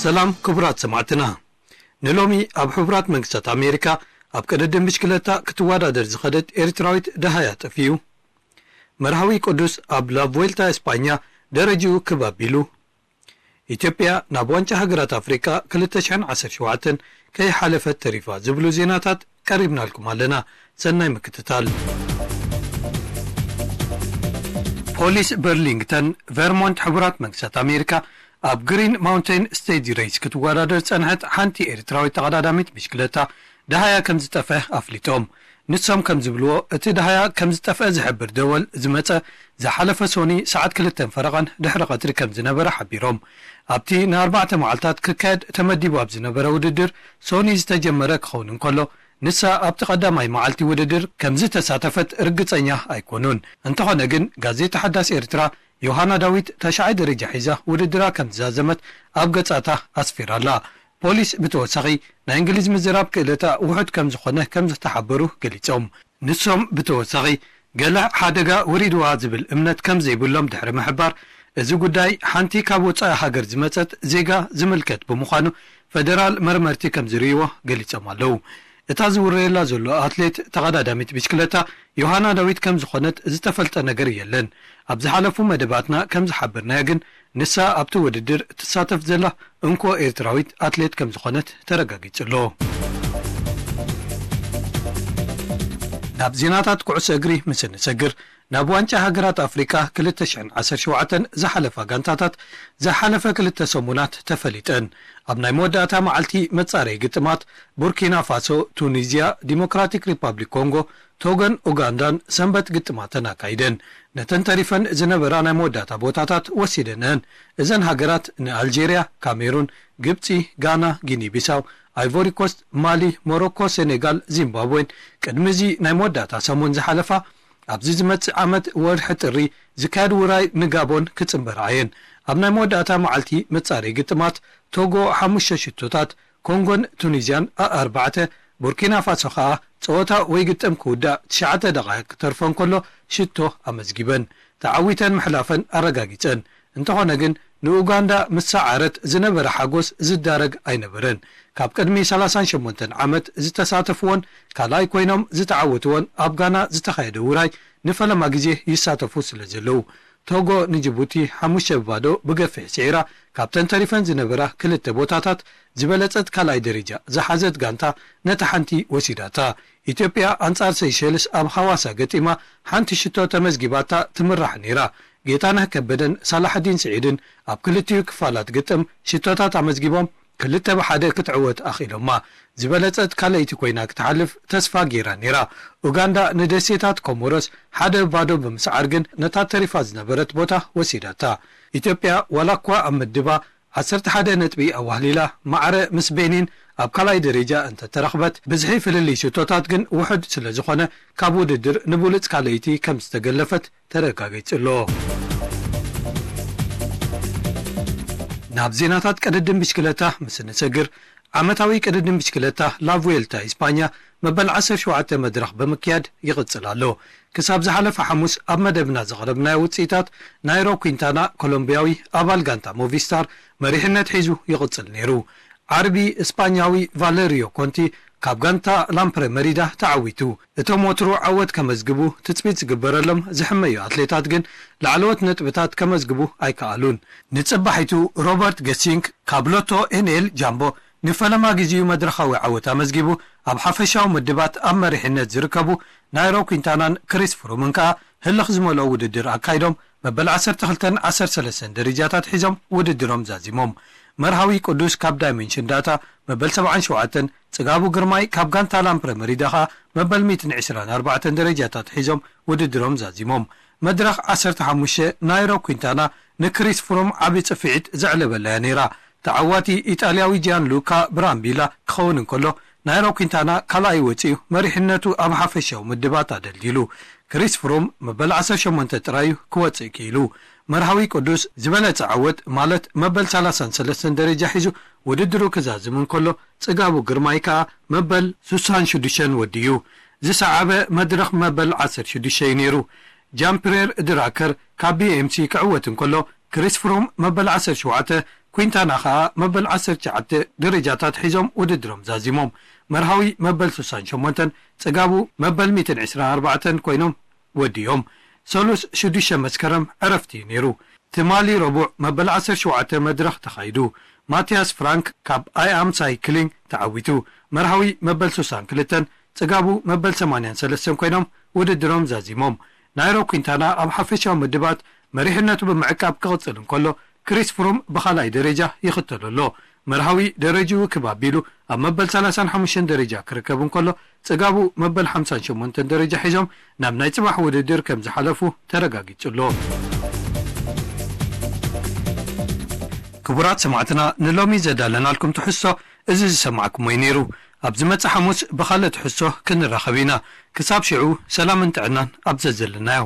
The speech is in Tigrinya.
ሰላም ክቡራት ሰማዕትና፣ ንሎሚ ኣብ ሕቡራት መንግስታት ኣሜሪካ ኣብ ቅድድም ብሽክለታ ክትወዳደር ዝኸደት ኤርትራዊት ደሃያ ጠፊኡ። መርሃዊ ቅዱስ ኣብ ላቭዌልታ እስጳኛ ደረጅኡ ክብ ኣቢሉ። ኢትዮጵያ ናብ ዋንጫ ሃገራት ኣፍሪቃ ክልተ ሽሕን ዓሰርተ ሸውዓተን ከይሓለፈት ተሪፋ ዝብሉ ዜናታት ቀሪብናልኩም ኣለና። ሰናይ ምክትታል። ፖሊስ በርሊንግተን ቨርሞንት ሕቡራት መንግስታት ኣሜሪካ ኣብ ግሪን ማውንቴን ስቴጅ ሬስ ክትወዳደር ዝጸንሐት ሓንቲ ኤርትራዊት ተቐዳዳሚት ብሽክለታ ደሃያ ከም ዝጠፍአ ኣፍሊጦም። ንሶም ከም ዝብልዎ፣ እቲ ደሃያ ከም ዝጠፍአ ዝሕብር ደወል ዝመጸ ዝሓለፈ ሶኒ ሰዓት ክልተን ፈረቓን ድሕሪ ቀትሪ ከም ዝነበረ ሓቢሮም። ኣብቲ ንኣርባዕተ መዓልታት ክካየድ ተመዲቡ ኣብ ዝነበረ ውድድር ሶኒ ዝተጀመረ ክኸውን እንከሎ፣ ንሳ ኣብቲ ቀዳማይ መዓልቲ ውድድር ከም ዝተሳተፈት ርግጸኛ ኣይኮኑን። እንተኾነ ግን፣ ጋዜጣ ሓዳስ ኤርትራ ዮሃና ዳዊት ተሽዓይ ደረጃ ሒዛ ውድድራ ከም ዝዛዘመት ኣብ ገጻታ ኣስፊራላ። ፖሊስ ብተወሳኺ፣ ናይ እንግሊዝ ምዝራብ ክእለታ ውሑድ ከም ዝኾነ ከም ዝተሓበሩ ገሊጾም። ንሶም ብተወሳኺ፣ ገለ ሓደጋ ወሪድዋ ዝብል እምነት ከም ዘይብሎም ድሕሪ ምሕባር፣ እዚ ጉዳይ ሓንቲ ካብ ወጻኢ ሃገር ዝመጸት ዜጋ ዝምልከት ብምዃኑ፣ ፈደራል መርመርቲ ከም ዝርእይዎ ገሊጾም ኣለዉ። እታ ዝውረየላ ዘሎ ኣትሌት ተቐዳዳሚት ብሽክለታ ዮሃና ዳዊት ከም ዝኾነት ዝተፈልጠ ነገር የለን። ኣብ ዝሓለፉ መደባትና ከም ዝሓበርናዮ ግን፣ ንሳ ኣብቲ ውድድር ትሳተፍ ዘላ እንኮ ኤርትራዊት ኣትሌት ከም ዝኾነት ተረጋጊጹ ኣሎ። ናብ ዜናታት ኩዕሶ እግሪ ምስ እንሰግር፣ ናብ ዋንጫ ሃገራት ኣፍሪቃ ክልተ ሽሕን ዓሰርተ ሸውዓተን ዝሓለፋ ጋንታታት ዝሓለፈ ክልተ ሰሙናት ተፈሊጠን። ኣብ ናይ መወዳእታ መዓልቲ መጻረዪ ግጥማት፣ ቡርኪና ፋሶ፣ ቱኒዝያ፣ ዲሞክራቲክ ሪፓብሊክ ኮንጎ፣ ቶጎን ኡጋንዳን ሰንበት ግጥማተን ኣካይደን። ነተን ተሪፈን ዝነበራ ናይ መወዳእታ ቦታታት ወሲደንአን። እዘን ሃገራት ንኣልጄርያ፣ ካሜሩን፣ ግብጺ፣ ጋና፣ ጊኒ ቢሳው፣ ኣይቮሪ ኮስት፣ ማሊ፣ ሞሮኮ፣ ሴኔጋል፣ ዚምባብዌን ቅድሚ እዚ ናይ መወዳእታ ሰሙን ዝሓለፋ፣ ኣብዚ ዝመጽእ ዓመት ወርሒ ጥሪ ዝካየድ ውራይ ንጋቦን ክጽንበራ እየን። ኣብ ናይ መወዳእታ መዓልቲ መጻረዪ ግጥማት፣ ቶጎ ሓሙሽተ ሽቶታት፣ ኮንጎን ቱኒዝያን ኣርባዕተ፣ ቡርኪና ፋሶ ከኣ ጸወታ ወይ ግጥም ክውዳእ ትሽዓተ ደቓይቕ ክተርፎ እንከሎ ሽቶ ኣመዝጊበን። ተዓዊተን ምሕላፈን ኣረጋጊጸን። እንተኾነ ግን፣ ንኡጋንዳ ምስ ሰዓረት ዝነበረ ሓጎስ ዝዳረግ ኣይነበረን። ካብ ቅድሚ ሰላሳን ሸሞንተን ዓመት ዝተሳተፍዎን ካልኣይ ኮይኖም ዝተዓወትዎን ኣብ ጋና ዝተኻየደ ውራይ ንፈለማ ግዜ ይሳተፉ ስለ ዘለዉ። ቶጎ ንጅቡቲ ሓሙሽተ ብባዶ ብገፊሕ ስዒራ፣ ካብተን ተሪፈን ዝነበራ ክልተ ቦታታት ዝበለጸት ካልኣይ ደረጃ ዝሓዘት ጋንታ ነታ ሓንቲ ወሲዳታ። ኢትዮጵያ ኣንጻር ሰይሸልስ ኣብ ሃዋሳ ገጢማ ሓንቲ ሽቶ ተመዝጊባታ ትምራሕ ነይራ። ጌታነህ ከበደን ሳላሕዲን ስዒድን ኣብ ክልቲኡ ክፋላት ግጥም ሽቶታት ኣመዝጊቦም ክልተ ብሓደ ክትዕወት ኣኽኢሎማ። ዝበለጸት ካልኣይቲ ኮይና ክትሓልፍ ተስፋ ገይራ ነይራ። ኡጋንዳ ንደሴታት ኮሞሮስ ሓደ ብባዶ ብምስዓር ግን ነታ ተሪፋ ዝነበረት ቦታ ወሲዳታ። ኢትዮጵያ ዋላ እኳ ኣብ ምድባ ዓሰርተ ሓደ ነጥቢ ኣዋህሊላ ማዕረ ምስ ቤኒን ኣብ ካልኣይ ደረጃ እንተተረኽበት፣ ብዝሒ ፍልልይ ሽቶታት ግን ውሑድ ስለ ዝኾነ፣ ካብ ውድድር ንብሉጽ ካልኣይቲ ከም ዝተገለፈት ተረጋጊጹ ኣሎ። ናብ ዜናታት ቅድድም ብሽክለታ ምስ እንሰግር፣ ዓመታዊ ቅድድም ብሽክለታ ላቭዌልታ ኢስፓኛ መበል ዓሰርተ ሸውዓተ መድረኽ ብምክያድ ይቕጽል ኣሎ። ክሳብ ዝሓለፈ ሓሙስ ኣብ መደብና ዘቕረብናዮ ውጽኢታት፣ ናይሮ ኩንታና ኮሎምቢያዊ ኣባል ጋንታ ሞቪስታር መሪሕነት ሒዙ ይቕጽል ነይሩ። ዓርቢ እስፓኛዊ ቫለሪዮ ኮንቲ ካብ ጋንታ ላምፕረ መሪዳ ተዓዊቱ። እቶም ወትሩ ዓወት ከመዝግቡ ትጽቢት ዝግበረሎም ዝሕመዩ ኣትሌታት ግን ላዕለዎት ነጥብታት ከመዝግቡ ኣይከኣሉን። ንጽባሒቱ ሮበርት ገሲንክ ካብ ሎቶ ኤንኤል ጃምቦ ንፈለማ ግዜኡ መድረኻዊ ዓወት ኣመዝጊቡ፣ ኣብ ሓፈሻዊ ምድባት ኣብ መሪሕነት ዝርከቡ ናይሮ ኩንታናን ክሪስ ፍሩምን ከኣ ህልኽ ዝመልኦ ውድድር ኣካይዶም መበል ዓሰርተ ክልተን ዓሰርተ ሰለስተን ደረጃታት ሒዞም ውድድሮም ዛዚሞም። መርሃዊ ቅዱስ ካብ ዳይሜንሽን ዳታ መበል ሰብዓን ሸውዓተን፣ ጽጋቡ ግርማይ ካብ ጋንታ ላምፕረ መሪዳ ከኣ መበል ሚእትን ዕስራን ኣርባዕተን ደረጃታት ሒዞም ውድድሮም ዛዚሞም። መድረኽ ዓሰርተ ሓሙሽተ ናይሮ ኩንታና ንክሪስ ፍሩም ዓቢ ጽፍዒት ዘዕለበላ'ያ ነይራ። ተዓዋቲ ኢጣልያዊ ጂያን ሉካ ብራምቢላ ክኸውን እንከሎ፣ ናይሮ ኩንታና ካልኣይ ወጺኡ መሪሕነቱ ኣብ ሓፈሻዊ ምድባት ኣደልዲሉ። ክሪስ ፍሩም መበል ዓሰርተ ሸሞንተ ጥራዩ ክወጽእ ክኢሉ። መርሃዊ ቅዱስ ዝበለጸ ዓወት ማለት መበል ሰላሳን ሰለስተን ደረጃ ሒዙ ውድድሩ ክዛዝም እንከሎ፣ ጽጋቡ ግርማይ ከኣ መበል ስሳን ሽዱሽተን ወዲኡ። ዝሰዓበ መድረኽ መበል ዓሰርተ ሽዱሽተ እዩ ነይሩ። ጃምፕሬር ድራከር ካብ ቢኤምሲ ክዕወት እንከሎ፣ ክሪስ ፍሩም መበል ዓሰርተ ሸውዓተ፣ ኩንታና ከኣ መበል ዓሰርተ ትሽዓተ ደረጃታት ሒዞም ውድድሮም ዛዚሞም። መርሃዊ መበል ስሳን ሸሞንተን፣ ጽጋቡ መበል ሚእትን ዕስራን ኣርባዕተን ኮይኖም ወዲኦም። ሰሉስ ሽዱሽተ መስከረም ዕረፍቲ እዩ ነይሩ። ትማሊ ረቡዕ መበል ዓሰርተ ሸውዓተ መድረኽ ተኻይዱ። ማቲያስ ፍራንክ ካብ ኣይ ኣም ሳይክሊንግ ተዓዊቱ። መርሃዊ መበል ስሳን ክልተን፣ ጽጋቡ መበል ሰማንያን ሰለስተን ኮይኖም ውድድሮም ዛዚሞም። ናይሮ ኩንታና ኣብ ሓፈሻዊ ምድባት መሪሕነቱ ብምዕቃብ ክቕጽል እንከሎ፣ ክሪስ ፍሩም ብኻልኣይ ደረጃ ይኽተሎ ኣሎ። መርሃዊ ደረጅኡ ክብ ኣቢሉ ኣብ መበል ሰላሳን ሓሙሽተን ደረጃ ክርከብ እንከሎ፣ ጽጋቡ መበል ሓምሳን ሸሞንተን ደረጃ ሒዞም ናብ ናይ ጽባሕ ውድድር ከም ዝሓለፉ ተረጋጊጹ ኣሎ። ክቡራት ሰማዕትና፣ ንሎሚ ዘዳለናልኩም ትሕዝቶ እዚ ዝሰማዕኩሞ እዩ ነይሩ። ኣብ ዝመጽእ ሓሙስ ብኻልእ ትሕዝቶ ክንራኸብ ኢና። ክሳብ ሽዑ ሰላምን ጥዕናን ኣብ ዘዘለናዮ።